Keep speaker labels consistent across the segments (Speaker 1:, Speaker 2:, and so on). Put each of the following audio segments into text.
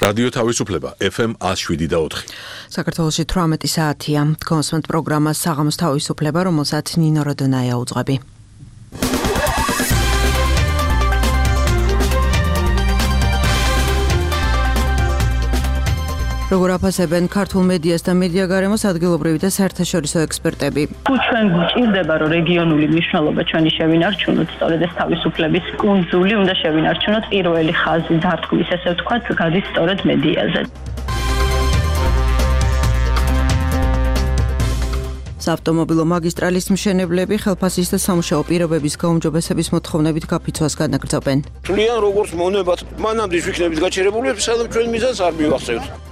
Speaker 1: რადიო თავისუფლება FM 107.4.
Speaker 2: საქართველოში 18 საათია. კონსვენტ პროგრამა საღამოს თავისუფლება, რომელსაც ნინო როდონაია უძღვები. როგორ აფასებენ ქართულ მედიას და მედიაგარემოს ადგილობრივი და საერთაშორისო ექსპერტები.
Speaker 3: თუ ჩვენ გვჭირდება, რომ რეგიონული მნიშვნელობა ჩვენი შევინარჩუნოთ, სწორედ ეს თავისუფლების კუნძული უნდა შევინარჩუნოთ, პირველი ხაზი დარტყმის, ესე ვთქვათ, გადის სწორედ მედიაზე.
Speaker 2: საავტომობილო მაგისტრალის მშენებლები ხელფასის და სამუშაო პირობების გაუმჯობესების მოთხოვნებით გაფიცვას განაგრძობენ.
Speaker 4: თვლიან როგორც მონებად, მანამდე ვიქნებით გაჩერებული, სადაც ჩვენ მიზანს არ მივახცევთ.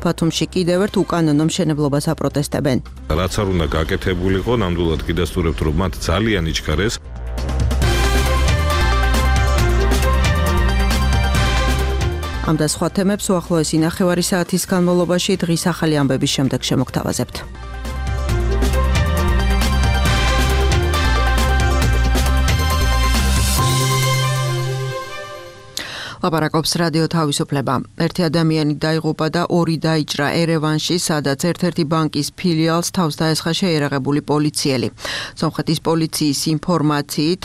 Speaker 2: ბათუმში კიდევ ერთ უკანონო მშენებლობას აპროტესტებენ.
Speaker 5: რაც არ უნდა გაკეთებულიყო, ნამდვილად გიდასტურებთ, რომ მათ ძალიან იჩქარეს.
Speaker 2: ამ და სხვა თემებს უახლოესი ნახევარი საათის განმავლობაში დღის ახალი ამბების შემდეგ შემოგთავაზებთ. ლაპარაკობს რადიო თავისუფლება. ერთი ადამიანი დაიღუპა და ორი დაიჭრა ერევანში, სადაც ერთ-ერთი ბანკის ფილიალს თავს დაესხა შეიარაღებული პოლიციელი. სომხეთის პოლიციის ინფორმაციით,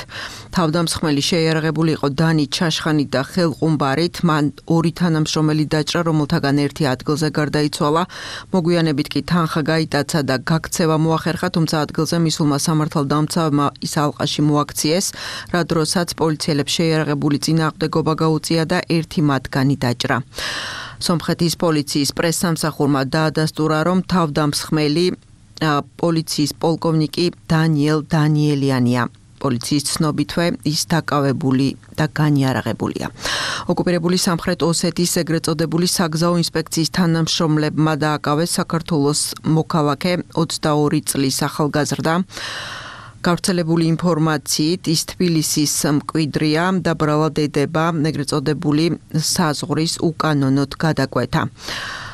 Speaker 2: თავდამსხმელი შეიარაღებული იყო დანი ჩაშხანით და ხელყუმბარით. მან ორი თანამშრომელი დაჭრა, რომელთაგან ერთი ადგილზე გარდაიცვალა. მოგვიანებით კი თანხა გაიტაცა და გაქცევა მოახერხა, თუმცა ადგილზე მისულმა სამართალდამცავმა ის ალყაში მოაქციეს, რა დროსაც პოლიციელებს შეიარაღებული წინააღმდეგობა გაუწია და ერთი მათგანი დაჭრა. სომხეთის პოლიციის პრესსამსახურმა დაადასტურა, რომ თავდამსხმელი პოლიციის პოლკოვნიკი დანიელ დანიელიანია. პოლიციის ცნობითვე ის დაკავებული და განიარაღებულია. ოკუპირებული სამხრეთ ოსეთის ეგრეთ წოდებული საგზაო ინსპექციის თანამშრომლებმა დააკავეს საქართველოს მოქალაქე 22 წლის ახალგაზრდა. გავრცელებული ინფორმაციით ის თბილისის მკვიდრია და ბრალად ედება ეგრეთ წოდებული საზღვრის უკანონოდ გადაკვეთა.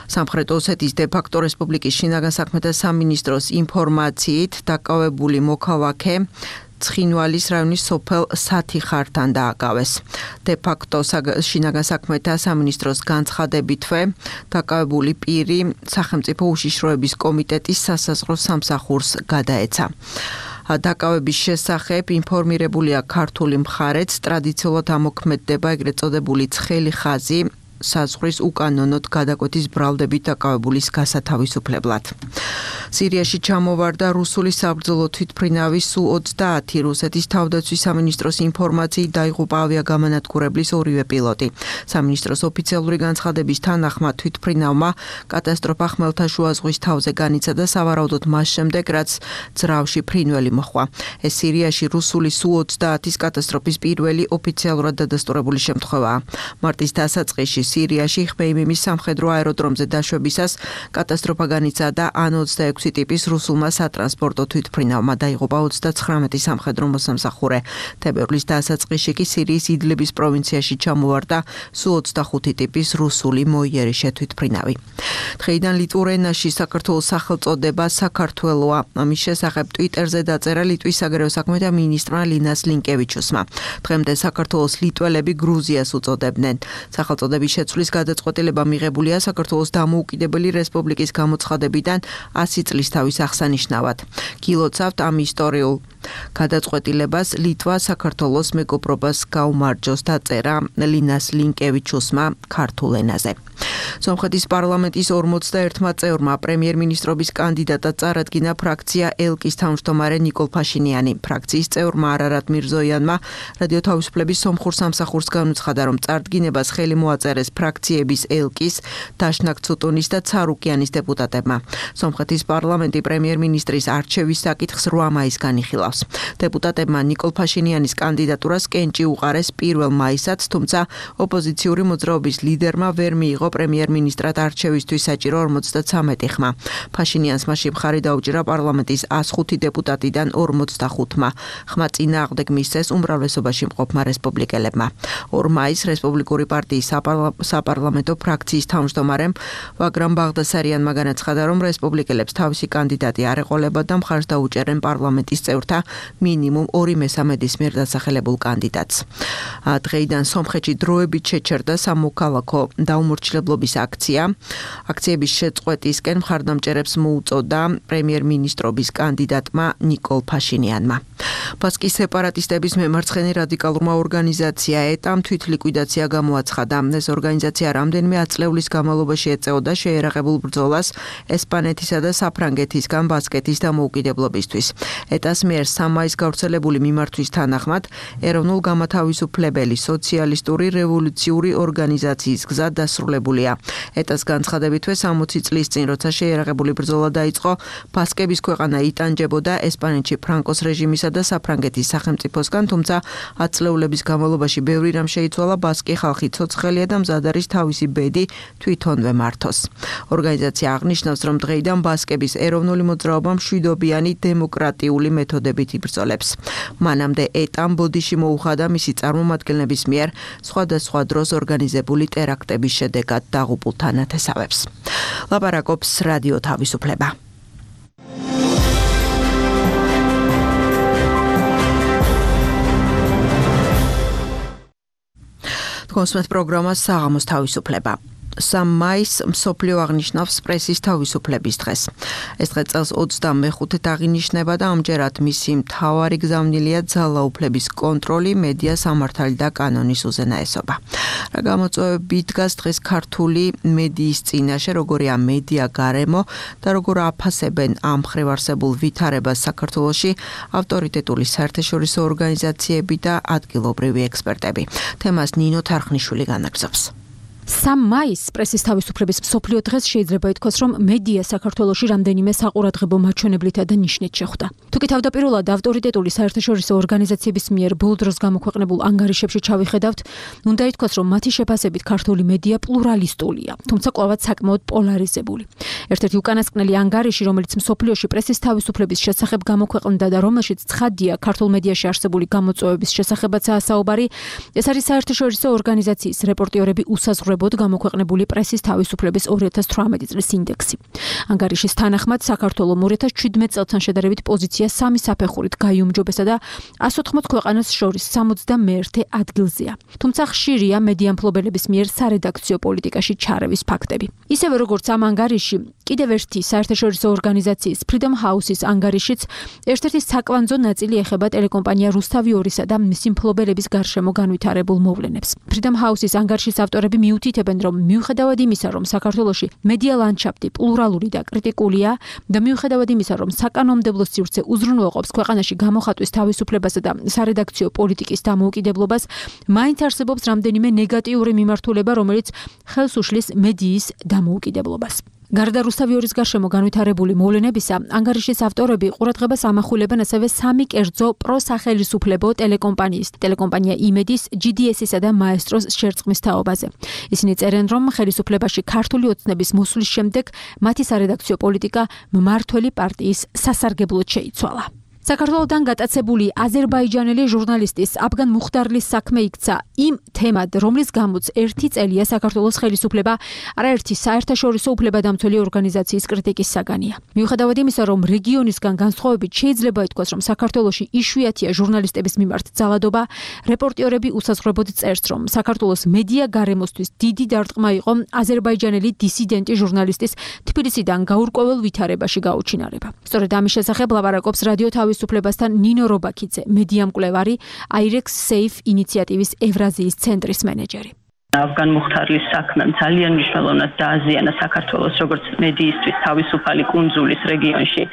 Speaker 2: სამხრეთ ოსეთის დე-ფაქტო რესპუბლიკის შინაგან საქმეთა სამინისტროს ინფორმაციით დაკავებული მოქალაქე ცხინვალის რაიონის სოფელ სათიხართან დააკავეს. დე-ფაქტო შინაგან საქმეთა სამინისტროს განცხადებითვე დაკავებული პირი სახელმწიფო უშიშროების კომიტეტის სასაზღვრო სამსახურს გადაეცა. დაკავების შესახებ ინფორმირებულია ქართული მხარეც, ტრადიციულად ამოქმედდება ეგრეთ წოდებული ცხელი ხაზი საზღვრის უკანონოდ გადაკვეთის ბრალდებით დაკავებულის გასათავისუფლებლად. სირიაში ჩამოვარდა რუსული საბრძოლო თვითმფრინავის სუ 30. რუსეთის თავდაცვის სამინისტროს ინფორმაციით დაიღუპა ავიაგამანადგურებლის ორივე პილოტი. სამინისტროს ოფიციალური განცხადების თანახმად თვითმფრინავმა კატასტროფა ხმელთაშუა ზღვის თავზე განიცა და სავარაუდოდ მას შემდეგ, რაც ძრავში ფრინველი მოჰყვა. ეს სირიაში რუსული სუ 30-ის კატასტროფის პირველი ოფიციალურად დადასტურებული შემთხვევაა. მარტის დასაწყისში სირიაში ხმეიმიმის სამხედრო აეროდრომზე დაშვებისას კატასტროფა განიცა და An-26 ტიპის რუსულმა სატრანსპორტო თვითმფრინავმა დაიღუპა 39 სამხედრო მოსამსახურე. თებერვლის დასაწყისში კი სირიის იდლიბის პროვინციაში ჩამოვარდა სუ 25 ტიპის რუსული მოიერიშე თვითმფრინავი. დღეიდან ლიტვურ ენაში საქართველოს სახელწოდება საქართველოა. ამის შესახებ ტვიტერზე დაწერა ლიტვის საგარეო საქმეთა მინისტრმა ლინას ლინკევიჩუსმა. დღემდე საქართველოს ლიტველები გრუზიას უწოდებდნენ. სახელწოდების შეცვლის გადაწყვეტილება მიღებულია საქართველოს დამოუკიდებელი რესპუბლიკის გამოცხადებიდან 100 წლისთავის აღსანიშნავად. გილოცავთ ამ ისტორიულ გადაწყვეტილებას ლიტვა საქართველოს მეგობრობას გაუმარჯოს დაწერა ლინას ლინკევიჩუსმა ქართულ ენაზე. სომხეთის პარლამენტის 41 წევრმა პრემიერ-მინისტრობის კანდიდატად წარადგინა ფრაქცია ელკის თავმჯდომარე ნიკოლ ფაშინიანი. ფრაქციის წევრმა არარატ მირზოიანმა რადიო თავისუფლების სომხურ სამსახურს განუცხადა, რომ წარდგინებას ხელი მოაწერეს ფრაქციების ელკის, დაშნაკ ცუტუნის და ცარუკიანის დეპუტატებმა. სომხეთის პარლამენტი პრემიერ-მინისტრის არჩევის საკითხს 8 მაისს განიხილავს. დეპუტატებმა ნიკოლ ფაშინიანის კანდიდატურას კენჭი უყარეს 1 მაისსაც, თუმცა ოპოზიციური მოძრაობის ლიდერმა ვერ მიიღო პრემიერ პრემიერ-მინისტრად არჩევისთვის საჭირო 53 ხმა. ფაშინიანს მასში მხარი დაუჭირა პარლამენტის 105 დეპუტატიდან 45-მა. ხმა წინააღმდეგ მისცეს უმრავლესობაში მყოფმა რესპუბლიკელებმა. 2 მაისს რესპუბლიკური პარტიის საპარლამენტო ფრაქციის თავმჯდომარემ ვაგრამ ბაღდასარიანმა განაცხადა, რომ რესპუბლიკელებს თავისი კანდიდატი არ ეყოლებათ და მხარს დაუჭერენ პარლამენტის წევრთა მინიმუმ 2/3-ის მიერ დასახელებულ კანდიდატს. დღეიდან სომხეთში დროებით შეჩერდა სამოქალაქო დაუმორჩილებლობის აქცია. აქციების შეწყვეტისკენ მხარდამჭერებს მოუწოდა პრემიერ-მინისტრობის კანდიდატმა ნიკოლ ფაშინიანმა. ბასკის სეპარატისტების მემარცხენე რადიკალურმა ორგანიზაცია ეტამ თვითლიკვიდაცია გამოაცხადა. ეს ორგანიზაცია რამდენიმე ათწლეულის განმავლობაში ეწეოდა შეერაღებულ ბრძოლას ესპანეთისა და საფრანგეთისგან ბასკეთის დამოუკიდებლობისთვის. ეტას მიერ 3 მაისს გავრცელებული მიმართვის თანახმად ეროვნულ გამათავისუფლებელი სოციალისტური რევოლუციური ორგანიზაციის გზა დასრულებულია. ეტას განცხადებითვე 60 წლის წინ, როცა შეერაღებული ბრძოლა დაიწყო, ბასკების ქვეყანა იტანჯებოდა ესპანეთში ფრანკოს რეჟიმისა და საფრანგეთის სახელმწიფოსგან, თუმცა ათწლეულების განმავლობაში ბევრი რამ შეიცვალა, ბასკი ხალხი ცოცხალია და მზად არის თავისი ბედი თვითონვე მართოს. ორგანიზაცია აღნიშნავს, რომ დღეიდან ბასკების ეროვნული მოძრაობა მშვიდობიანი დემოკრატიული მეთოდებით იბრძოლებს. მანამდე ეტამ ბოდიში მოუხადა მისი წარმომადგენლების მიერ სხვადასხვა დროს ორგანიზებული ტერაქტების შედეგად დაღუპულ თანათესავებს. ლაპარაკობს რადიო თავისუფლება. კონსმეთ პროგრამა საღამოს თავისუფლება. 3 მაისს მსოფლიო აღნიშნავს პრესის თავისუფლების დღეს. ეს დღე წელს 25-ით აღინიშნება და ამჯერად მისი მთავარი გზავნილია ძალაუფლების კონტროლი, მედია სამართალი და კანონის უზენაესობა. რა გამოწვევები დგას დღეს ქართული მედიის წინაშე, როგორია მედია გარემო და როგორ აფასებენ ამ მხრივ არსებულ ვითარებას საქართველოში ავტორიტეტული საერთაშორისო ორგანიზაციები და ადგილობრივი ექსპერტები. თემას ნინო თარხნიშვილი განაგზობს.
Speaker 6: 3 მაისს პრესის თავისუფლების მსოფლიო დღეს შეიძლება ითქვას, რომ მედია საქართველოში რამდენიმე საყურადღებო მაჩვენებლითა და ნიშნით შეხვდა. თუკი თავდაპირველად ავტორიტეტული საერთაშორისო ორგანიზაციების მიერ ბოლო დროს გამოქვეყნებულ ანგარიშებში ჩავიხედავთ, უნდა ითქვას, რომ მათი შეფასებით ქართული მედია პლურალისტულია, თუმცა კვლავაც საკმაოდ პოლარიზებული. ერთ-ერთი უკანასკნელი ანგარიში, რომელიც მსოფლიოში პრესის თავისუფლების შესახებ გამოქვეყნდა და რომელშიც ცხადია ქართულ მედიაში არსებული გამოწვევების შესახებაცაა საუბარი, ეს არის საერთაშორისო ორგანიზაციის რეპორტიორები უსაზღვრებლად გამოქვეყნებული პრესის თავისუფლების 2018 წლის ინდექსი. ანგარიშის თანახმად საქართველო 2017 წელთან შედარებით პოზიცია 3 საფეხურით გაიუმჯობესა და 180 ქვეყანას შორის 61 ადგილზეა. თუმცა ხშირია მედია მფლობელების მიერ სარედაქციო პოლიტიკაში ჩარევის ფაქტები. ისევე როგორც ამ ანგარიში, კიდევ ერთი საერთაშორისო ორგანიზაციის Freedom House-ის ანგარიშიც ერთ-ერთი საკვანძო ნაწილი ეხება ტელეკომპანია რუსთავი 2-სა და მისი მფლობელების გარშემო განვითარებულ მოვლენებს. Freedom House-ის ანგარიშის ავტორები მიუთითებენ, რომ მიუხედავად იმისა, რომ საქართველოში მედია ლანდშაფტი პლურალური და კრიტიკულია და მიუხედავად იმისა, რომ საკანონმდებლო სივრცე უზრუნველყოფს ქვეყანაში გამოხატვის თავისუფლებასა და სარედაქციო პოლიტიკის დამოუკიდებლობას, მაინც არსებობს რამდენიმე ნეგატიური მიმართულება, რომელიც ხელს უშლის მედიის დამოუკიდებლობას. გარდა რუსთავი 2-ის გარშემო განვითარებული მოვლენებისა, ანგარიშის ავტორები ყურადღებას ამახვილებენ ასევე 3 კერძო პროსახელისუფლებო ტელეკომპანია იმედის, GDS-ისა და მაესტროს შერწყმის თაობაზე. ისინი წერენ, რომ ხელისუფლებაში ქართული ოცნების მოსვლის შემდეგ მათი სარედაქციო პოლიტიკა მმართველი პარტიის სასარგებლოდ შეიცვალა. საქართველოდან გატაცებული აზერბაიჯანელი ჟურნალისტის აბგან მუხდარლის საქმე იქცა იმ თემად, რომლის გამოც 1 წელია საქართველოს ხელისუფლება არაერთი საერთაშორისო უფლებადამცველი ორგანიზაციის კრიტიკის საგანია. მიუხედავად იმისა, რომ რეგიონისგან განსხვავებით შეიძლება ითქვას, რომ საქართველოში იშვიათია ჟურნალისტების მიმართ ძალადობა, რეპორტიორები უსაზღვრებლად წერს, რომ საქართველოს მედია გარემოსთვის დიდი დარტყმა იყო აზერბაიჯანელი დისიდენტი ჟურნალისტის თბილისიდან გაურკვეველ ვითარებაში გაუჩინარება. სწორედ ამის შესახებ ლაპარაკობს რადიო თავისუფლებასთან ნინო რობაქიძე, მედია მკვლევარი, IREX Safe ინიციატივის ევრაზიის ცენტრის მენეჯერი.
Speaker 3: აბგან მუხდარლის საქმემ ძალიან მნიშვნელოვნად დააზიანა საქართველოს როგორც მედიისთვის თავისუფალი კუნძულის რეგიონში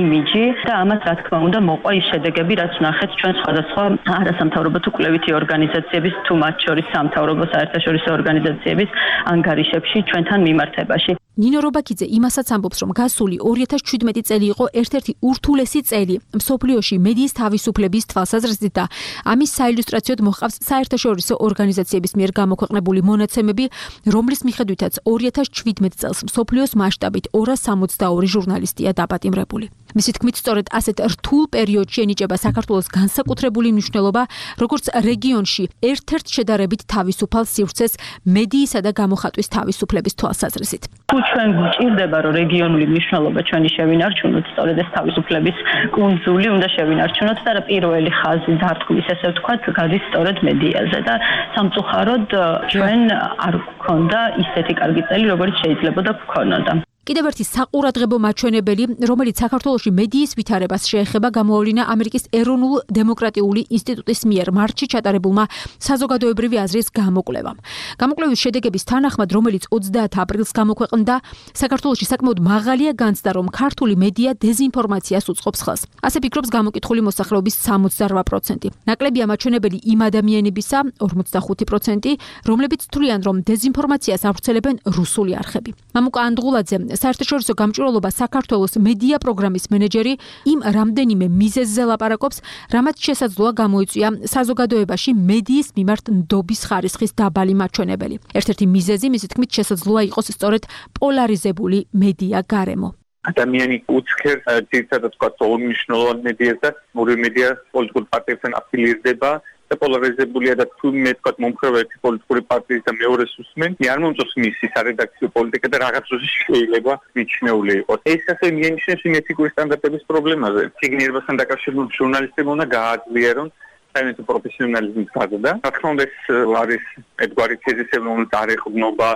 Speaker 3: იმიჯი და ამას რა თქმა უნდა მოყვა ის შედეგები, რაც ნახეთ ჩვენ სხვადასხვა არასამთავრობო თუ კვლევითი ორგანიზაციების თუ მათ შორის სამთავრობო საერთაშორისო ორგანიზაციების ანგარიშებში ჩვენთან მიმართებაში.
Speaker 6: ნინო რობაქიძე იმასაც ამბობს, რომ გასული 2017 წელი იყო ერთ-ერთი ურთულესი წელი მსოფლიოში მედიის თავისუფლების თვალსაზრისით და ამის საილუსტრაციოდ მოჰყავს საერთაშორისო ორგანიზაციების მიერ გამოქვეყნებული მონაცემები, რომლის მიხედვითაც 2017 წელს მსოფლიოს მასშტაბით 262 ჟურნალისტია დაპატიმრებული. მისი თქმით, სწორედ ასეთ რთულ პერიოდში ენიჭება საქართველოს განსაკუთრებული მნიშვნელობა, როგორც რეგიონში ერთ-ერთ შედარებით თავისუფალ სივრცეს მედიისა და გამოხატვის თავისუფლების თვალსაზრისით.
Speaker 3: თუ ჩვენ გვჭირდება, რომ რეგიონული მნიშვნელობა ჩვენი შევინარჩუნოთ, სწორედ ეს თავისუფლების კუნძული უნდა შევინარჩუნოთ და პირველი ხაზი დარტყმის, ესე ვთქვათ, გადის სწორედ მედიაზე და სამწუხაროდ ჩვენ არ გვქონდა ისეთი კარგი წელი, როგორც შეიძლებოდა გვქონოდა. კიდევ ერთი საყურადღებო მაჩვენებელი, რომელიც საქართველოში მედიის ვითარებას შეეხება, გამოავლინა ამერიკის ეროვნულ დემოკრატიული ინსტიტუტის მიერ მარტში ჩატარებულმა საზოგადოებრივი აზრის გამოკვლევამ. გამოკვლევის შედეგების თანახმად, რომელიც 30 აპრილს გამოქვეყნდა, საქართველოში საკმაოდ მაღალია განცდა, რომ ქართული მედია დეზინფორმაციას უწყობს ხელს. ასე ფიქრობს გამოკითხული მოსახლეობის 68%. ნაკლებია მაჩვენებელი იმ ადამიანებისა 45%, რომლებიც თვლიან, რომ დეზინფორმაციას ავრცელებენ რუსული არხები. მამუკა ანდღულაძე, საერთაშორისო გამჭვირვალობა საქართველოს მედია პროგრამის მენეჯერი, იმ რამდენიმე მიზეზზე ლაპარაკობს, რამაც შესაძლოა გამოიწვია საზოგადოებაში მედიის მიმართ ნდობის ხარისხის დაბალი მაჩვენებელი. ერთ-ერთი მიზეზი, მისი თქმით, შესაძლოა იყოს სწორედ პოლარიზებული მედია გარემო.
Speaker 7: ადამიანი უცხერ ძირითადად თქვა უმნიშვნელოვან მედიას და ორი მედია პოლიტიკურ პარტიებთან აფილირდება და პოლარიზებულია და თუ მე თქვა მომხრევა ერთი პოლიტიკური პარტიის და მეორეს უსმენ, არ მომწონს მისი სარედაქციო პოლიტიკა და რაღაც დროში შეიძლება მიჩნეული იყოს. ეს ასე მიანიშნებს იმ ეთიკური სტანდარტების პრობლემაზე. ციგნიერებასთან დაკავშირებული ჟურნალისტებმა უნდა გააძლიერონ საინტერესო პროფესიონალიზმის გაზრდა. რა თქმა უნდა, ეს არის ერთგვარი თეზისები, რომელიც არ ეყრდნობა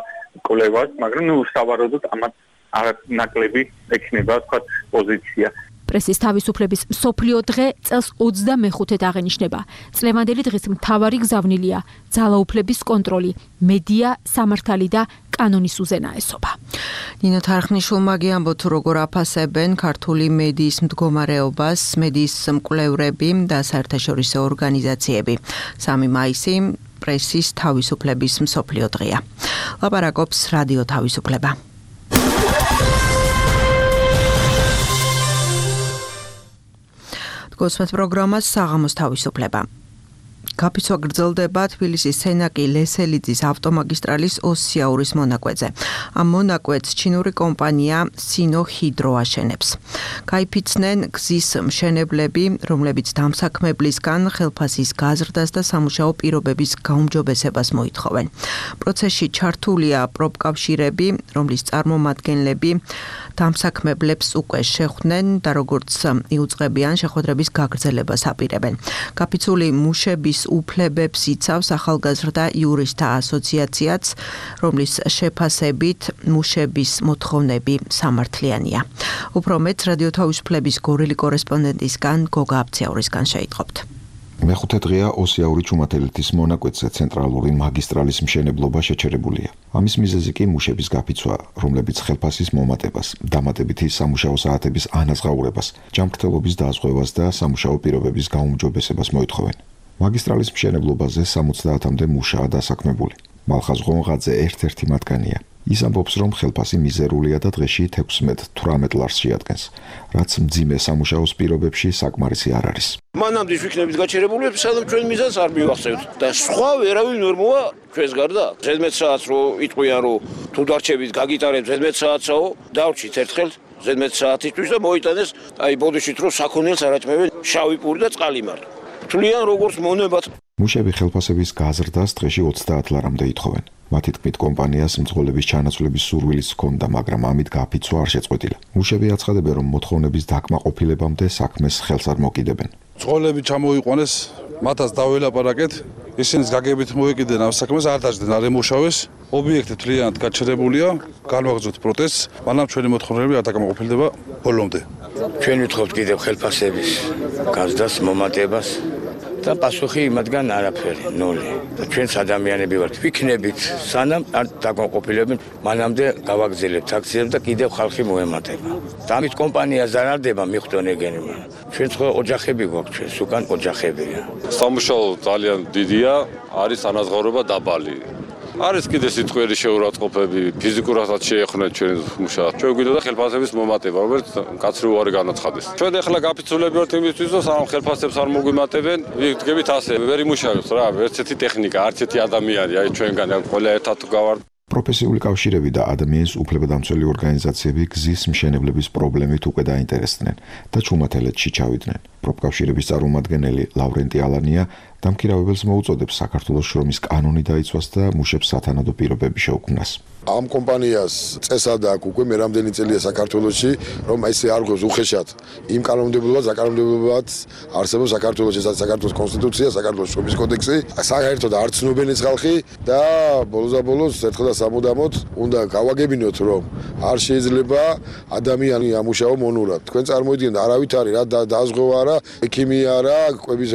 Speaker 7: კვლევას, მაგრამ სავარაუდოდ ამათ არანაკლები ექნება თქვა პოზიცია.
Speaker 6: პრესის თავისუფლების მსოფლიო დღე წელს 25-ით აღენიშნება. წლევანდელი დღის მთავარი გზავნილია ძალაუფლების კონტროლი, მედია, სამართალი და კანონის უზენაესობა.
Speaker 2: ნინო თარხნიშვილმა გიამბოთ, როგორ აფასებენ ქართული მედიის მდგომარეობას მედიის მკვლევრები და საერთაშორისო ორგანიზაციები. 3 მაისი პრესის თავისუფლების მსოფლიო დღეა. ლაპარაკობს რადიო თავისუფლება. გოსმეთ პროგრამას საღამოს თავისუფლება. გაფიცვა გრძელდება თბილისის სენაკი ლესელიძის ავტომაგისტრალის ოსიაურის მონაკვეთზე. ამ მონაკვეთს ჩინური კომპანია სინოჰიდრო აშენებს. გაიფიცნენ გზის მშენებლები, რომლებიც დამსაქმებლისგან ხელფასის გაზრდას და სამუშაო პირობების გაუმჯობესებას მოითხოვენ. პროცესში ჩართულია პროფკავშირები, რომლის წარმომადგენლები დამსაქმებლებს უკვე შეხვდნენ და როგორც იუწყებიან შეხვედრების გაგრძელებას აპირებენ. გაფიცული მუშების უფლებებს იცავს ახალგაზრდა იურისტთა ასოციაციაც, რომლის შეფასებით მუშების მოთხოვნები სამართლიანია. უფრო მეტ რადიო თავისუფლების გორელი კორესპონდენტისგან გოგა აბცეურისგან შეიტყობთ.
Speaker 8: მეხუთე დღეა ოსიაური ჩუმათელეთის მონაკვეთზე ცენტრალური მაგისტრალის მშენებლობა შეჩერებულია. ამის მიზეზი კი მუშების გაფიცვა, რომლებიც ხელფასის მომატებას, დამატებითი სამუშაო საათების ანაზღაურებას, ჯანმრთელობის დაზღვევას და სამუშაო პირობების გაუმჯობესებას მოითხოვენ. მაგისტრალის მშენებლობაზე 70-მდე მუშაა დასაქმებული. მალხაზ ღონღაძე ერთ-ერთი მათგანია. ის ამბობს, რომ ხელფასი მიზერულია და დღეში 16-18 ლარს შეადგენს, რაც მძიმე სამუშაოს პირობებში საკმარისი არ არის.
Speaker 4: მანამდე ვიქნებით გაჩერებულები, სადაც ჩვენ მიზანს არ მივახსენებთ და სხვა ვერავინ ვერ მოვა ჩვენს გარდა. 17 საათს რო იტყვიან, რომ თუ დარჩებით გაგიტარებთ 17 საათსაო, დავრჩით ერთხელ 17 საათისთვის და მოიტანეს აი ბოდიშით რომ საქონელს არაჭმევენ შავი პური და წყალიმარ. თვლიან როგორც მონებად.
Speaker 8: მუშები ხელფასების გაზრდას დღეში 30 ლარამდე ითხოვენ. მათი თქმით, კომპანიას მძღოლების ჩანაცვლების სურვილიც ჰქონდა, მაგრამ ამით გაფიცვა არ შეწყვეტილა. მუშები აცხადებენ, რომ მოთხოვნების დაკმაყოფილებამდე საქმეს ხელს არ მოკიდებენ.
Speaker 9: მძღოლები ჩამოიყვანეს, მათაც დაველაპარაკეთ, ისინიც გაგებით მოეკიდნენ ამ საქმეს, არ დაждდნენ, არ ემუშავეს. ობიექტი თლიანად გაჩერებულია, განვაგრძოთ პროტესტს, მაგრამ ჩვენი მოთხოვნები არ დაკმაყოფილდება ბოლომდე.
Speaker 10: ჩვენ ვითხოვთ კიდევ ხელფასების გაზრდას, მომატებას და პასუხი იმათგან არაფერი, ნული. ჩვენს ადამიანები ვართ, ვიქნებით, სანამ არ დაკმაყოფილებენ, მანამდე გავაგრძელებთ აქციებს და კიდევ ხალხი მოემატება. და ამით კომპანია ზარალდება, მიხვდონ ეგენი, მაგრამ ჩვენ ხო ოჯახები გვაქვს, ჩვენს უკან ოჯახებია.
Speaker 11: სამუშაო ძალიან დიდია, არის ანაზღაურება დაბალი. არის კიდე სიტყვიერი შეურაცხყოფები, ფიზიკურადაც შეეხმაროთ ჩვენ მუშაობას. ჩვენ გვინდა ხელფასების მომატება, რომელიც კაცრი უარი განაცხადეს. ჩვენ ახლა გაფიცულები ვართ იმისთვის, რომ სამ ხელფასებს არ მოგვიმატებენ, ვიგებით ასე, ვერ იმუშავებს რა, ერთ-ერთი ტექნიკა, არც ერთი ადამიანი, აი ჩვენგან ყველა ერთად გავართ.
Speaker 8: პროფესიული კავშირები და ადამიანის უფლებადამცველი ორგანიზაციები გზის მშენებლების პრობლემით უკვე დაინტერესდნენ და ჩუმათელეთში ჩავიდნენ. პროფკავშირების წარმომადგენელი ლავრენტი ალანია დამქირავებელს მოუწოდებს საქართველოს შრომის კანონი დაიცვას და მუშებს სათანადო პირობები შეუქმნას.
Speaker 12: ამ კომპანიას წესად აქვს უკვე მე რამდენი წელია საქართველოში, რომ ესე არ გვყავს უხეშად იმ კანონმდებლობას, საკანონმდებლობად არსებობს საქართველოში, საქართველოს კონსტიტუცია, საქართველოს შრომის კოდექსი, საერთოდ არ ცნობენ ეს ხალხი და ბოლოს ერთხელ და სამუდამოდ უნდა გავაგებინოთ, რომ არ შეიძლება ადამიანი ამუშაო მონურად. თქვენ წარმოიდგინეთ, არავით არის რა დაზღვევა არა, ექიმი არა, კვების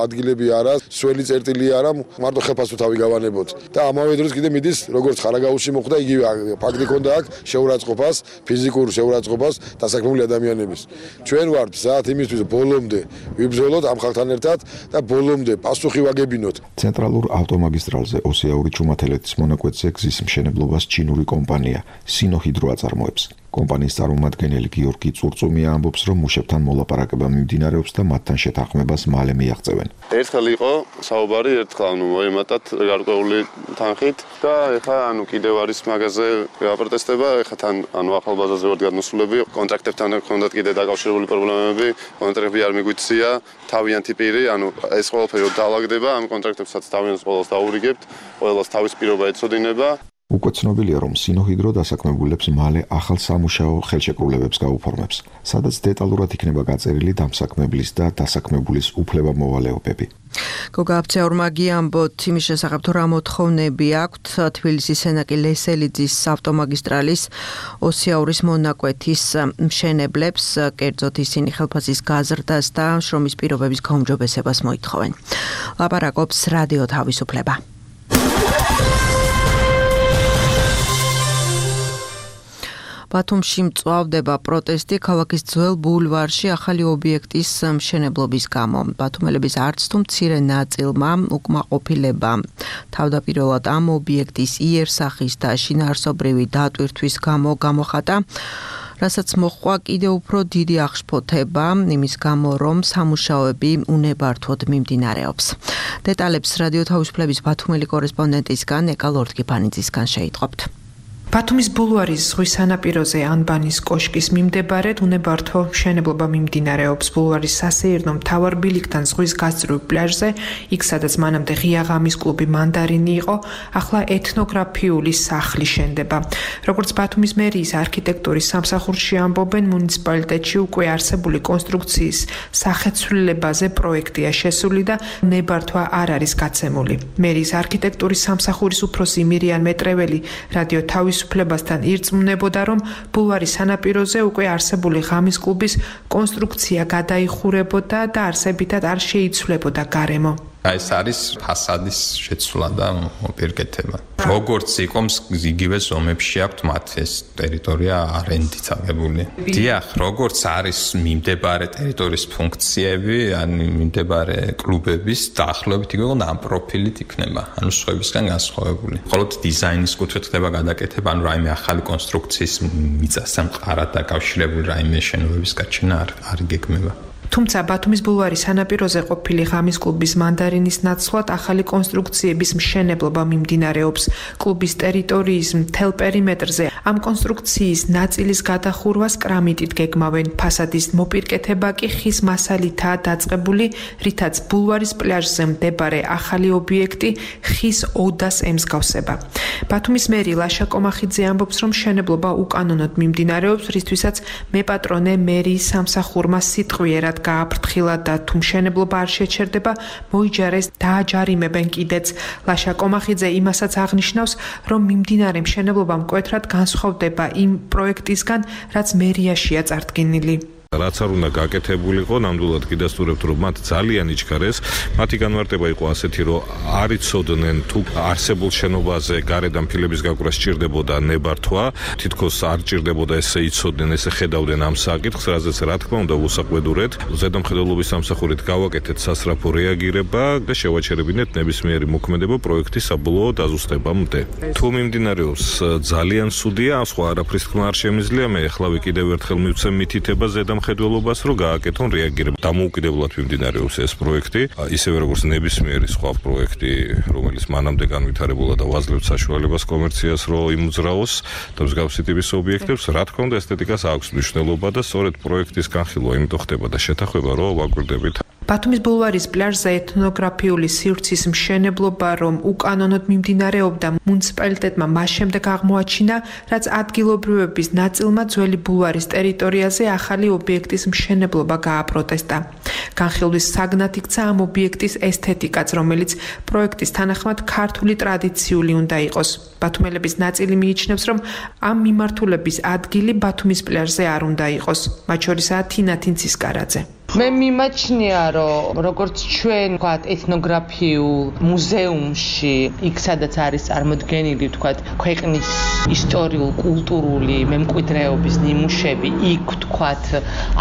Speaker 12: ადგილები არა, სველი წერტილი არა, მარტო ხელფასო თავი გავანებოთ. და ამავე დროს კიდე მიდის როგორც ხარაგაულში მოხდა იგივე ფაქტი ქონდა აქ შეურაცხყოფას, ფიზიკურ შეურაცხყოფას დასაქმებული ადამიანების. ჩვენ ვართ საათ იმისთვის ბოლომდე ვიბრძოლოთ ამ ხალხთან ერთად და ბოლომდე პასუხი ვაგებინოთ.
Speaker 8: ცენტრალურ ავტომაგისტრალზე ოსიაური ჩუმათელეთის მონაკვეთზე გზის მშენებლობას ჩინური კომპანია სინოჰიდრო აწარმოებს. კომპანიის წარმომადგენელი გიორგი წურწუმია ამბობს, რომ მუშებთან მოლაპარაკება მიმდინარეობს და მათთან შეთანხმებას მალე მიაღწევენ.
Speaker 13: ერთხელ იყო საუბარი, ერთხელ მოემატათ გარკვეული თანხით და ეხლა კიდევ არის მაგაზე აპროტესტება, ეხლა თან ახალბაზაზე ვართ გადმოსულები, კონტრაქტებთან ჰქონდათ კიდე დაკავშირებული პრობლემები, კონტრაქტები არ მიგვიწია, თავიანთი პირი, ეს ყველაფერი დაალაგდება, ამ კონტრაქტებსაც თავიანთს ყველას დაურიგებთ, ყველას თავის პირობა ეცოდინება.
Speaker 8: უკვე ცნობილია, რომ სინოჰიდრო დასაქმებულებს მალე ახალ სამუშაო ხელშეკრულებებს გაუფორმებს, სადაც დეტალურად იქნება გაწერილი დამსაქმებლის და დასაქმებულის უფლებამოვალეობები.
Speaker 2: გოგა აფცეორმა გიამბოთ იმის შესახებ, თუ რა მოთხოვნები აქვთ თბილისის სენაკი ლესელიძის ავტომაგისტრალის ოსიაურის მონაკვეთის მშენებლებს, კერძოდ ისინი ხელფასის გაზრდას და შრომის პირობების გაუმჯობესებას მოითხოვენ. ლაპარაკობს რადიო თავისუფლება. ბათუმში მწვავდება პროტესტი ქალაქის ძველ ბულვარში ახალი ობიექტის მშენებლობის გამო. ბათუმელების არც თუ მცირე ნაწილმა უკმაყოფილება თავდაპირველად ამ ობიექტის იერსახის და შინაარსობრივი დატვირთვის გამო გამოხატა, რასაც მოჰყვა კიდევ უფრო დიდი აღშფოთება იმის გამო, რომ სამუშაოები უნებართვოდ მიმდინარეობს. დეტალებს რადიო თავისუფლების ბათუმელი კორესპონდენტისგან ეკა ლორდ-კიფანიძისგან შეიტყობთ.
Speaker 14: ბათუმის ბულვარის ზღვის სანაპიროზე ანბანის კოშკის მიმდებარედ უნებართვო მშენებლობა მიმდინარეობს. ბულვარის სასეირნო მთავარ ბილიკთან ზღვის გასწვრივ პლაჟზე, იქ სადაც მანამდე ღია ღამის კლუბი მანდარინი იყო, ახლა ეთნოგრაფიული სახლი შენდება. როგორც ბათუმის მერიის არქიტექტურის სამსახურში ამბობენ, მუნიციპალიტეტში უკვე არსებული კონსტრუქციის სახეცვლილებაზე პროექტია შესული და უნებართვა არ არის გაცემული. მერიის არქიტექტურის სამსახურის უფროსი მირიან მეტრეველი რადიო თავისუფლებასთან ირწმუნებოდა, რომ ბულვარის სანაპიროზე უკვე არსებული ღამის კლუბის კონსტრუქცია გადაიხურებოდა და არსებითად არ შეიცვლებოდა გარემო.
Speaker 15: ეს არის ფასადის შეცვლა და მოპირკეთება. როგორც იყო იგივე ზომებში აქვთ მათ ეს ტერიტორია არენდით აღებული. დიახ, როგორც არის მიმდებარე ტერიტორიის ფუნქციები, მიმდებარე კლუბების დაახლოებით იგივე ამ პროფილით იქნება, სხვებისგან განსხვავებული. მხოლოდ დიზაინის კუთხით ხდება გადაკეთება, რაიმე ახალი კონსტრუქციის მიწასთან მყარად დაკავშირებული რაიმე შენობების გაჩენა არ იგეგმება.
Speaker 14: თუმცა ბათუმის ბულვარის სანაპიროზე ყოფილი ღამის კლუბის მანდარინის ნაცვლად ახალი კონსტრუქციების მშენებლობა მიმდინარეობს. კლუბის ტერიტორიის მთელ პერიმეტრზე ამ კონსტრუქციის ნაწილის გადახურვას კრამიტით გეგმავენ. ფასადის მოპირკეთება კი ხის მასალითაა დაწყებული, რითაც ბულვარის პლაჟზე მდებარე ახალი ობიექტი ხის ოდას ემსგავსება. ბათუმის მერი ლაშა კომახიძე ამბობს, რომ მშენებლობა უკანონოდ მიმდინარეობს, რისთვისაც მეპატრონე მერიის სამსახურმა სიტყვიერად გააფრთხილა და თუ მშენებლობა არ შეჩერდება, მოიჯარეს დააჯარიმებენ კიდეც. ლაშა კომახიძე იმასაც აღნიშნავს, რომ მიმდინარე მშენებლობა მკვეთრად განსხვავდება იმ პროექტისგან, რაც მერიაშია წარდგენილი.
Speaker 5: რაც არ უნდა გაკეთებულიყო, ნამდვილად კიდასტურებთ, რომ მათ ძალიან იჩქარეს. მათი განმარტება იყო ასეთი, რომ არ იცოდნენ თუ არსებულ შენობაზე გარედან ფილების გაკვრა სჭირდებოდა ნებართვა, თითქოს არ ჭირდებოდა ესე იცოდნენ, ესე ხედავდნენ ამ საკითხს, რაზეც რა თქმა უნდა უსაყვედურეთ. ზედამხედველობის სამსახურით გავაკეთეთ სასწრაფო რეაგირება და შევაჩერებინეთ ნებისმიერი მოქმედება პროექტის საბოლოო დაზუსტებამდე. თუ მიმდინარეობს ძალიან სუდია, სხვა არაფრის თქმა არ შემიძლია, მე ახლავე კიდევ ერთხელ მივცემ მითითება ზედამხედველობას, რომ გააკეთონ რეაგირება. დამოუკიდებლად მიმდინარეობს ეს პროექტი, ისევე როგორც ნებისმიერი სხვა პროექტი, რომელიც მანამდე განვითარებულა და ვაძლევთ საშუალებას კომერციას, რომ იმოძრაოს და მსგავსი ტიპის ობიექტებს, რა თქმა უნდა, ესთეტიკას აქვს მნიშვნელობა და სწორედ პროექტის განხილვა იმიტომ ხდება და შეთანხმება, რომ ვაკვირდებით.
Speaker 14: ბათუმის ბულვარის პლაჟზე ეთნოგრაფიული სივრცის მშენებლობა, რომ უკანონოდ მიმდინარეობდა, მუნიციპალიტეტმა მას შემდეგ აღმოაჩინა, რაც ადგილობრივების ნაწილმა ძველი ბულვარის ტერიტორიაზე ახალი ობიექტის მშენებლობა გააპროტესტა. განხილვის საგნად იქცა ამ ობიექტის ესთეტიკაც, რომელიც პროექტის თანახმად ქართული ტრადიციული უნდა იყოს. ბათუმელების ნაწილი მიიჩნევს, რომ ამ მიმართულების ადგილი ბათუმის პლაჟზე არ უნდა იყოს, მათ შორისაა თინა თინცისკარაძე.
Speaker 16: მე მიმაჩნია, რომ როგორც ჩვენ ვთქვათ ეთნოგრაფიულ მუზეუმში, იქ სადაც არის წარმოდგენილი ვთქვათ ქვეყნის ისტორიულ-კულტურული მემკვიდრეობის ნიმუშები, იქ ვთქვათ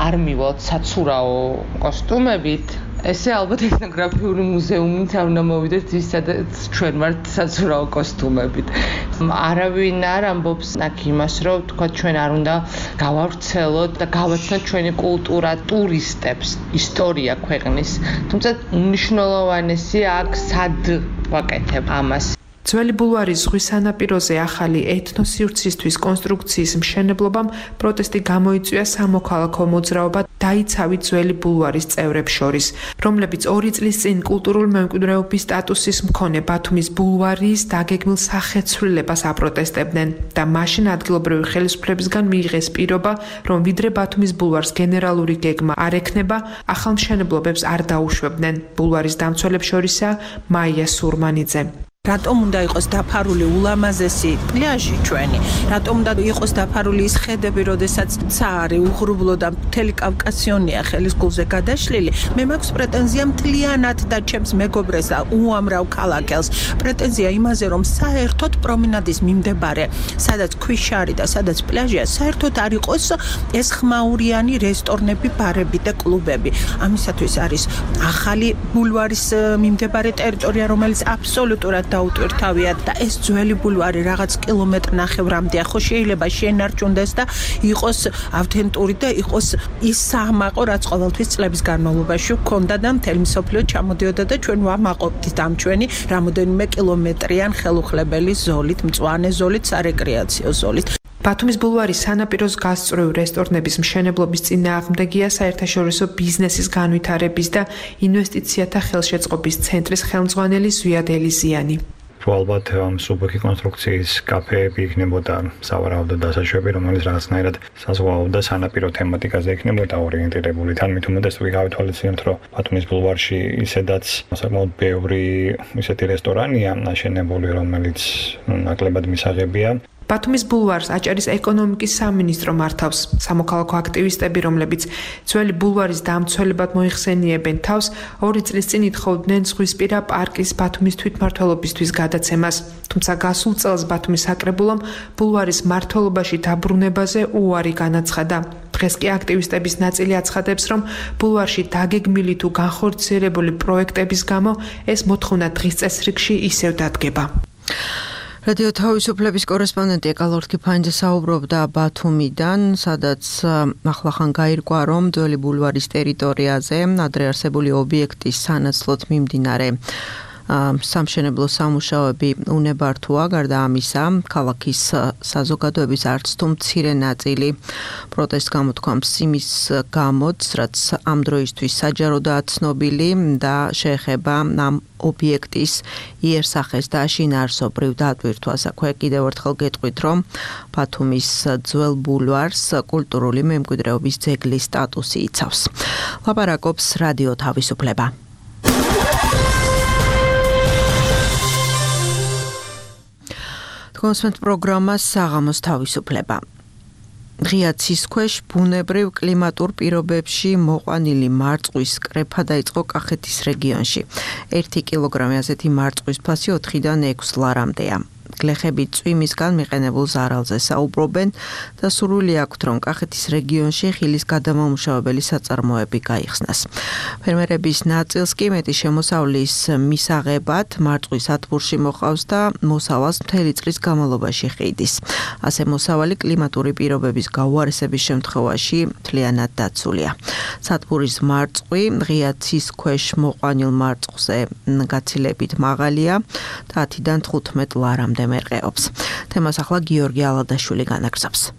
Speaker 16: არ მივალთ საცურაო კოსტუმებით, ესე ალბათ ეთნოგრაფიული მუზეუმით არ უნდა მოვიდეთ ის სადაც ჩვენ ვართ საცურაო კოსტუმებით. არავინ არ ამბობს აქ იმას, რომ თქვა ჩვენ არ უნდა გავავრცელოთ და გავაცნოთ ჩვენი კულტურა ტურისტებს, ისტორია ქვეყნის. თუმცა უმნიშვნელოვანესია აქ სად ვაკეთებ ამას.
Speaker 14: ძველი ბულვარის ზღვის სანაპიროზე ახალი ეთნოსივრცისთვის კონსტრუქციის მშენებლობამ პროტესტი გამოიწვია სამოქალაქო მოძრაობა დაიცავი ძველი ბულვარის წევრებს შორის, რომლებიც 2 წლის წინ კულტურული მემკვიდრეობის სტატუსის მქონე ბათუმის ბულვარის დაგეგმილ სახეცვლილებას აპროტესტებდნენ და მაშინ ადგილობრივი ხელისუფლებისგან მიიღეს პირობა, რომ ვიდრე ბათუმის ბულვარს გენერალური გეგმა არ ექნება, ახალ მშენებლობებს არ დაუშვებდნენ. ბულვარის დამცველებს შორისაა მაია სურმანიძე.
Speaker 17: რატომ უნდა იყოს დაფარული ულამაზესი პლაჟი ჩვენი? რატომ უნდა იყოს დაფარული ის ხედები, როდესაც ცარი უღრუბლო და მთელი კავკასიონია ხელის გულზე გადაშლილი? მე მაქვს პრეტენზია მთლიანად და ჩემს მეგობრეს და უამრავ ქალაქელს. პრეტენზია იმაზე, რომ საერთოდ პრომინადის მიმდებარე, სადაც ქვიშარი და სადაც პლაჟია, საერთოდ არ იყოს ეს ხმაურიანი რესტორნები, ბარები და კლუბები. ამისათვის არის ახალი ბულვარის მიმდებარე ტერიტორია, რომელიც აბსოლუტურად დაუტვირთავიათ და ეს ძველი ბულვარი რაღაც კილომეტრ-ნახევრამდეა, ხო შეიძლება შენარჩუნდეს და იყოს ავთენტური და იყოს ის საამაყო, რაც ყოველთვის წლების განმავლობაში ჰქონდა და მთელი მსოფლიო ჩამოდიოდა და ჩვენ ვამაყობთ ამ ჩვენი რამოდენიმე კილომეტრიან ხელუხლებელი ზოლით, მწვანე ზოლით, სარეკრეაციო ზოლით.
Speaker 14: ბათუმის ბულვარის სანაპიროს გასწვრივ რესტორნების მშენებლობის წინააღმდეგია საერთაშორისო ბიზნესის განვითარების და ინვესტიციათა ხელშეწყობის ცენტრის ხელმძღვანელი ზვიად ელიზიანი.
Speaker 18: ალბათ სუბუქი კონსტრუქციის კაფეები იქნებოდა სავარაუდო დასაშვები, რომელიც რაღაცნაირად საზღვაო და სანაპირო თემატიკაზე იქნებოდა ორიენტირებული. თან მით უმეტეს თუ გავითვალისწინებთ, რომ ბათუმის ბულვარში ისედაც საკმაოდ ბევრი ისეთი რესტორანია აშენებული, რომელიც ნაკლებად მისაღებია.
Speaker 14: ბათუმის ბულვარს აჭარის ეკონომიკის სამინისტრო მართავს. სამოქალაქო აქტივისტები, რომლებიც ძველი ბულვარის დამცველებად მოიხსენიებენ თავს, 2 წლის წინ ითხოვდნენ ზღვისპირა პარკის ბათუმის თვითმმართველობისთვის გადაცემას. თუმცა გასულ წელს ბათუმის საკრებულომ ბულვარის მმართველობაში დაბრუნებაზე უარი განაცხადა. დღეს კი აქტივისტების ნაწილი აცხადებს, რომ ბულვარში დაგეგმილი თუ განხორციელებული პროექტების გამო ეს მოთხოვნა დღის წესრიგში ისევ დადგება.
Speaker 2: რადიო თავისუფლების კორესპონდენტი ეკალორთი ფანჯე საუბრობდა ბათუმიდან, სადაც ახლახან გაირკვა, რომ ძველი ბულვარის ტერიტორიაზე ადრე არსებული ობიექტის სანაცვლოდ მიმდინარე სამშენებლო სამუშაოები უნებართოა. გარდა ამისა, ქალაქის საზოგადოების არც თუ მცირე ნაწილი პროტესტს გამოთქვამს იმის გამოც, რაც ამ დროისთვის საჯაროდაა ცნობილი და შეეხება ამ ობიექტის იერსახეს და შინაარსობრივ დატვირთვას. აქვე კიდევ ერთხელ გეტყვით, რომ ბათუმის ძველ ბულვარს კულტურული მემკვიდრეობის ძეგლის სტატუსი იცავს. ლაპარაკობს რადიო თავისუფლება. კონსმეთ პროგრამა საღამოს თავისუფლება. ღია ცისქვეშ ბუნებრივ კლიმატურ პირობებში მოყვანილი მარწყვის კრეფა დაიწყო კახეთის რეგიონში. 1 კილოგრამი ასეთი მარწყვის ფასი 4-დან 6 ლარამდეა. გლეხები წვიმისგან მიყენებულ ზარალზე საუბრობენ და სურვილი აქვთ, რომ კახეთის რეგიონში ხილის გადამამუშავებელი საწარმოები გაიხსნას. ფერმერების ნაწილს კი მეტი შემოსავლის მისაღებად მარწყვის ათბურში მოყავს და მოსავალს მთელი წლის განმავლობაში ხიდის. ასე მოსავალი კლიმატური პირობების გაუარესების შემთხვევაში მთლიანად დაცულია. სათბურის მარწყვი ღია ცისქვეშ მოყვანილ მარწყвზე გაცილებით მაღალია და 10-დან 15 ლარამდე მერყეობს. თემას ახლა გიორგი ალადაშვილი განაგრძობს.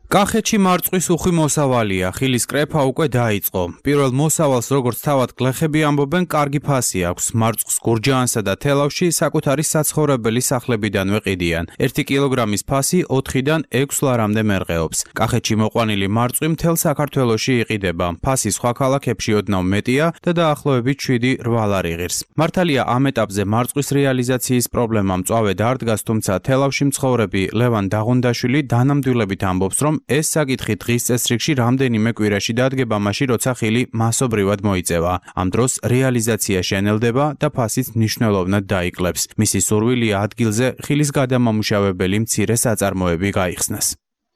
Speaker 19: კახეთში მარწყვის უხვი მოსავალია, ხილის კრეფა უკვე დაიწყო. პირველ მოსავალს როგორც თავად გლეხები ამბობენ, კარგი ფასი აქვს. მარწყვის გურჯაანსა და თელავში საკუთარი საცხოვრებელი სახლებიდანვე ყიდიან. 1 კილოგრამის ფასი 4-დან 6 ლარამდე მერყეობს. კახეთში მოყვანილი მარწყვი მთელ საქართველოში იყიდება. ფასი სხვა ქალაქებში ოდნავ მეტია და დაახლოებით 7-8 ლარი ღირს. მართალია ამ ეტაპზე მარწყვის რეალიზაციის პრობლემა მწვავედ არ დგას, თუმცა თელავში მცხოვრები ლევან დაღუნდაშვილი დანამდვილებით ამბობს, რომ ეს საკითხი დღის წესრიგში რამდენიმე კვირაში დადგება მაშინ, როცა ხილი მასობრივად მოიწევა. ამ დროს რეალიზაცია შენელდება და ფასიც მნიშვნელოვნად დაიკლებს. მისი სურვილია ადგილზე ხილის გადამამუშავებელი მცირე საწარმოები გაიხსნას.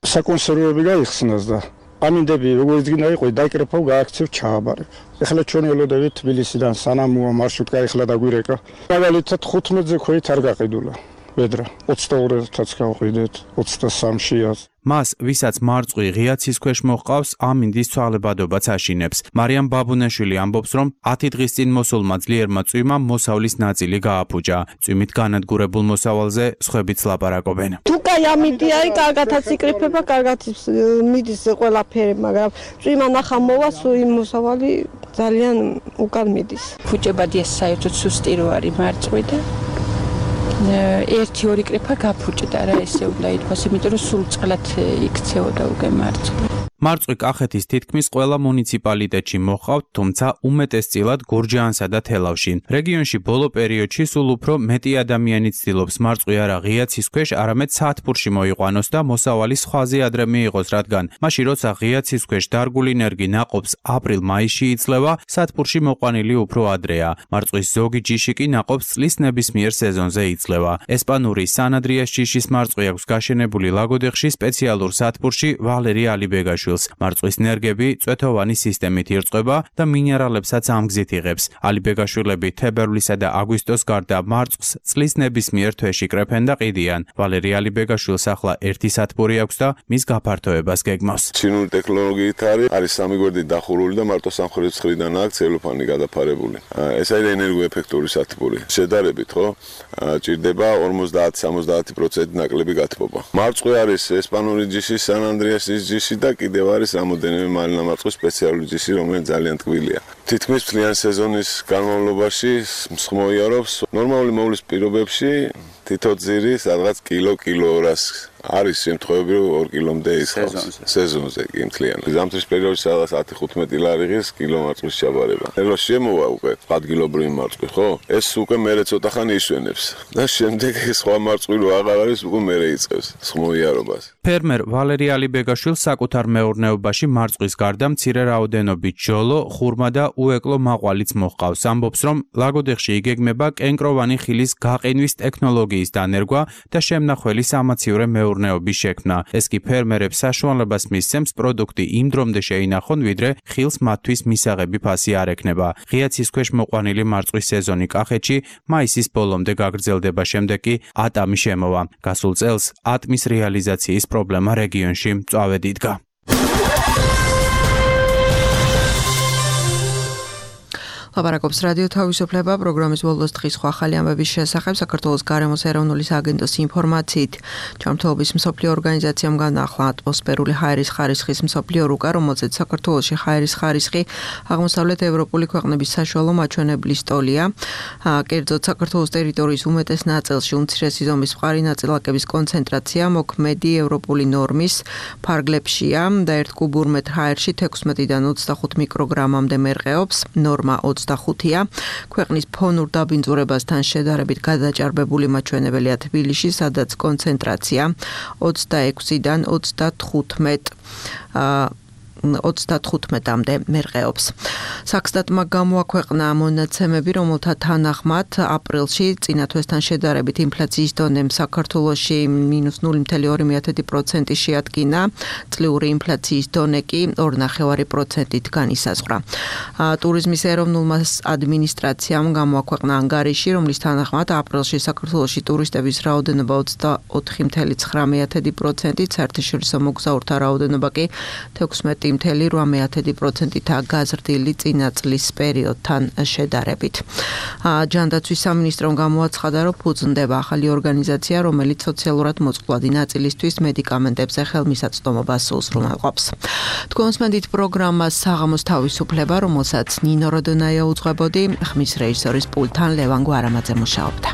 Speaker 20: საკონსერვები გაიხსნას და ამინდები როგორც გინდა იყო დაიკრეფავ გააქცევ ჩააბარებ. ეხლა ჩვენ ელოდებით თბილისიდან სანამუა მარშრუტკა ეხლა დაგვირეკა. მაგალითად 15-ზე ქვით არ გაყიდულა. ვედრა 22-ს გავყიდეთ 23-ში.
Speaker 19: მას, ვისაც მარწყვი ღია ცისქვეშ მოჰყავს, ამინდის ცვალებადობაც აშინებს. მარიამ ბაბუნაშვილი ამბობს, რომ 10 დღის წინ მოსულმა ძლიერმა წვიმმა მოსავლის ნაწილი გააფუჭა. წვიმით განადგურებულ მოსავალზე სხვებიც ლაპარაკობენ.
Speaker 21: თუ კაი ამინდი არის, კარგათაც იკრიფება, კარგად მიდის ყველაფერი, მაგრამ წვიმა ნახა მოვა, იმ მოსავალი ძალიან უკან მიდის.
Speaker 22: ფუჭებადია საერთოდ სუსტი რო არის მარწყვი და 1-2 კრეფა გაფუჭდა რა ესე უნდა ითქვას, იმიტომ რომ სულ წყლად იქცეოდა უკვე მარწყვა.
Speaker 19: მარწყვი კახეთის თითქმის ყველა მუნიციპალიტეტში მოჰყავთ, თუმცა უმეტესწილად გურჯაანსა და თელავში. რეგიონში ბოლო პერიოდში სულ უფრო მეტი ადამიანი ცდილობს მარწყვი არა ღია ცისქვეშ, არამედ სათბურში მოიყვანოს და მოსავალი სხვაზე ადრე მიიღოს, რადგან მაშინ როცა ღია ცისქვეშ დარგული ნერგი ნაყოფს აპრილ-მაისში იძლევა, სათბურში მოყვანილი უფრო ადრეა. მარწყვის ზოგი ჯიში კი ნაყოფს წლის ნებისმიერ სეზონზე იძლევა. ესპანური სანადრიას ჯიშის მარწყვი აქვს გაშენებული ლაგოდეხში სპეციალურ სათბურში ვალერი ალიბეგაშვილი. მარწყვის ნერგები წვეთოვანი სისტემით ირწყვება და მინერალებსაც ამ გზით იღებს. ალიბეგაშვილები თებერვლისა და აგვისტოს გარდა მარწყვის წლის ნებისმიერ თვეში კრეფენ და ყიდიან. ვალერი ალიბეგაშვილს ახლა 1 სათბური აქვს და მის გაფართოებას გეგმავს.
Speaker 23: ჩინური ტექნოლოგიით არის სამი გვერდით დახურული და მარტო სამხრეთ მხრიდან აქვს ცელოფანი გადაფარებული. ეს არის ენერგოეფექტური სათბური. შედარებით, ხო? ჭირდება 50-70% ნაკლები გათბობა. მარწყვი არის ესპანური ჯიშის სან-ანდრეასის ჯიში და კიდევ არის რამოდენიმე მარინა მარწყვის სპეციალური ჯიში, რომელიც ძალიან ტკბილია. თითქმის მთლიან სეზონის განმავლობაში მსხმოიარობს ნორმალური მოვლის პირობებში თითო ძირი სადღაც კილო-კილო-200 არის შემთხვევები, რომ 2 კილომდე ისხავს სეზონზე კი მთლიანად. ზამთრის პერიოდში სადღაც 10-15 ლარი ღირს კილო მარწყვის ჩაბარება. ეხლა შემოვა უკვე ადგილობრივი მარწყვი, ხო? ეს უკვე მერე ცოტა ხანი ისვენებს და შემდეგ სხვა მარწყვი რო აღარ არის, უკვე მერე იწყებს სხმოიარობას.
Speaker 19: ფერმერ ვალერი ალიბეგაშვილს საკუთარ მეურნეობაში მარწყვის გარდა მცირე რაოდენობით ჯოლო, ხურმა და უეკლო მაყვალიც მოჰყავს. ამბობს, რომ ლაგოდეხში იგეგმება კენკროვანი ხილის გაყინვის ტექნოლოგიის დანერგვა და შემნახველი სამაცივრე მეურნეობის შექმნა. ეს კი ფერმერებს საშუალებას მისცემს პროდუქტი იმ დრომდე შეინახონ, ვიდრე ხილს მათთვის მისაღები ფასი არ ექნება. ღია ცისქვეშ მოყვანილი მარწყვის სეზონი კახეთში მაისის ბოლომდე გაგრძელდება, შემდეგ კი ატამი შემოვა. გასულ წელს ატმის რეალიზაციის პრობლემა რეგიონში მწვავედ იდგა.
Speaker 2: ლაპარაკობს რადიო თავისუფლება პროგრამის ბოლოს დღის სხვა ახალი ამბების შესახებ საქართველოს გარემოს ეროვნული სააგენტოს ინფორმაციით. ჯანმრთელობის მსოფლიო ორგანიზაციამ განაახლა ატმოსფერული ჰაერის ხარისხის მსოფლიო რუკა, რომელზეც საქართველოში ჰაერის ხარისხი აღმოსავლეთ ევროპული ქვეყნების საშუალო მაჩვენებლის ტოლია. კერძოდ საქართველოს ტერიტორიის უმეტეს ნაწილში უმცირესი ზომის მყარი ნაწილაკების კონცენტრაცია მოქმედი ევროპული ნორმის ფარგლებშია და 1 კუბურ მეტრ ჰაერში 16-დან 25 მიკროგრამამდე მერყეობს. ნორმა 25-ია. ქვეყნის ფონურ დაბინძურებასთან შედარებით გადაჭარბებული მაჩვენებელია თბილისში, სადაც კონცენტრაცია 26-დან 35-მდე მერყეობს. საქსტატმა გამოაქვეყნა მონაცემები, რომელთა თანახმად აპრილში წინა თვესთან შედარებით ინფლაციის დონემ საქართველოში -0.2% შეადგინა, წლიური ინფლაციის დონე კი 2.5%-ით განისაზღვრა. ტურიზმის ეროვნულმა ადმინისტრაციამ გამოაქვეყნა ანგარიში, რომლის თანახმად აპრილში საქართველოში ტურისტების რაოდენობა 24.9%-ით, საერთაშორისო მოგზაურთა რაოდენობა კი 16.8%-ით გაზრდილი წინა წლის პერიოდთან შედარებით. ჯანდაცვის სამინისტრომ გამოაცხადა, რომ ფუძნდება ახალი ორგანიზაცია, რომელიც სოციალურად მოწყვლადი ნაწილისთვის მედიკამენტებზე ხელმისაწვდომობას უზრუნველყოფს. თქვენს მედით პროგრამას საღამოს თავისუფლება, რომელსაც ნინო როდონაია უძღვებოდი, ხმის რეჟისორის პულტთან ლევან გვარამაძე მუშაობდა.